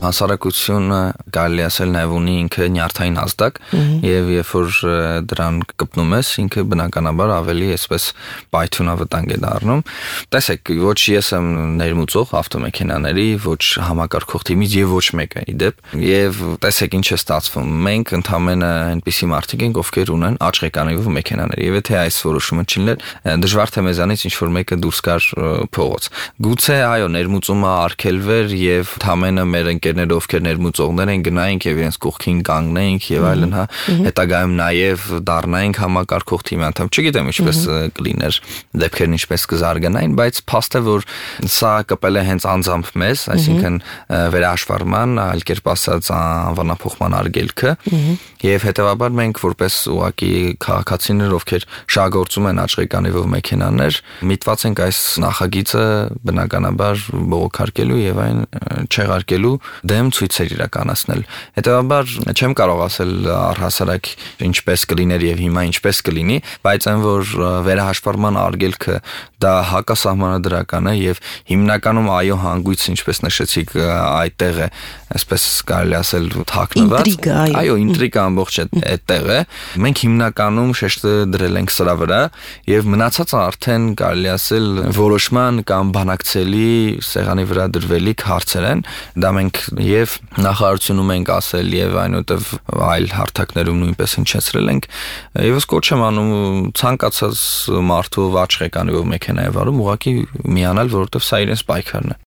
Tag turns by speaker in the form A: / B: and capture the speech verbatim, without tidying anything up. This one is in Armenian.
A: Հասարակությունը կարելի ասել նաև ունի ինքը նյարդային ազդակ եւ երբ որ դրան կպնում ես ինքը բնականաբար ավելի այսպես պայթյունավտանգ է դառնում տեսեք ոչ ես եմ ներմուծող ավտոմեքենաների ոչ համակարգող թիմից եւ ոչ մեկը իդեպ եւ տեսեք ինչ է ստացվում մենք ընդամենը այնպիսի մարդիկ ենք ովքեր ունեն աչղեկանիվով մեքենաներ եւ եթե այս որոշումը չլիներ դժվար թե մեզանից ինչ որ մեկը դուրս գար փողոց գուցե այո ներմուծումը արգելվեր եւ ընդամենը մեր ընկերները ովքեր ներմուծողներ են գնայինք եւ իրենց կողքին կանգնեինք եւ այլն հա հետագայում նաեւ դառնայինք համակարգող թիմի անդամ չգիտեմ ինչպես կլիներ դեպքերն ինչպես կզարգանային բայց փաստ է որ սա կպել է հենց անձամբ մեզ այսինքն վերահաշվառման այլ կերպ ասած անվանափոխման արգելքը եւ հետեւաբար մենք որպես ուղակի քաղաքացիներ ովքեր շահագործում են աչղեկանիվով մեքենաներ միտված ենք այս նախագիծը բնականաբար բողոքարկելու եւ այն չեղարկելու դեմ ցույցեր իրականացնել։ Հետեւաբար չեմ կարող ասել առհասարակ ինչպես կլիներ եւ հիմա ինչպես կլինի, բայց այն որ վերահաշվառման արգելքը դա հակասահմանադրական է եւ հիմնականում այո հանգույց ինչպես նշեցիք այդտեղ է, այսպես կարելի ասել թաքնված։ Այո, ինտրիգա ամբողջ այդտեղ է։ Մենք հիմնականում շեշտը դրել ենք սրա վրա եւ մնացածը արդեն կարելի ասել որոշման կամ բանակցելի սեղանի վրա դրվելիք հարցեր են դա մենք եւ նախարարությունում ենք ասել եւ այնուհետեւ այլ հարթակներում նույնպես հնչեցրել ենք եւս կոչ եմ անում ցանկացած մարդու աչղեկանիվով մեքենա է վարում ուղղակի միանալ որովհետեւ սա իրենց պայքարն է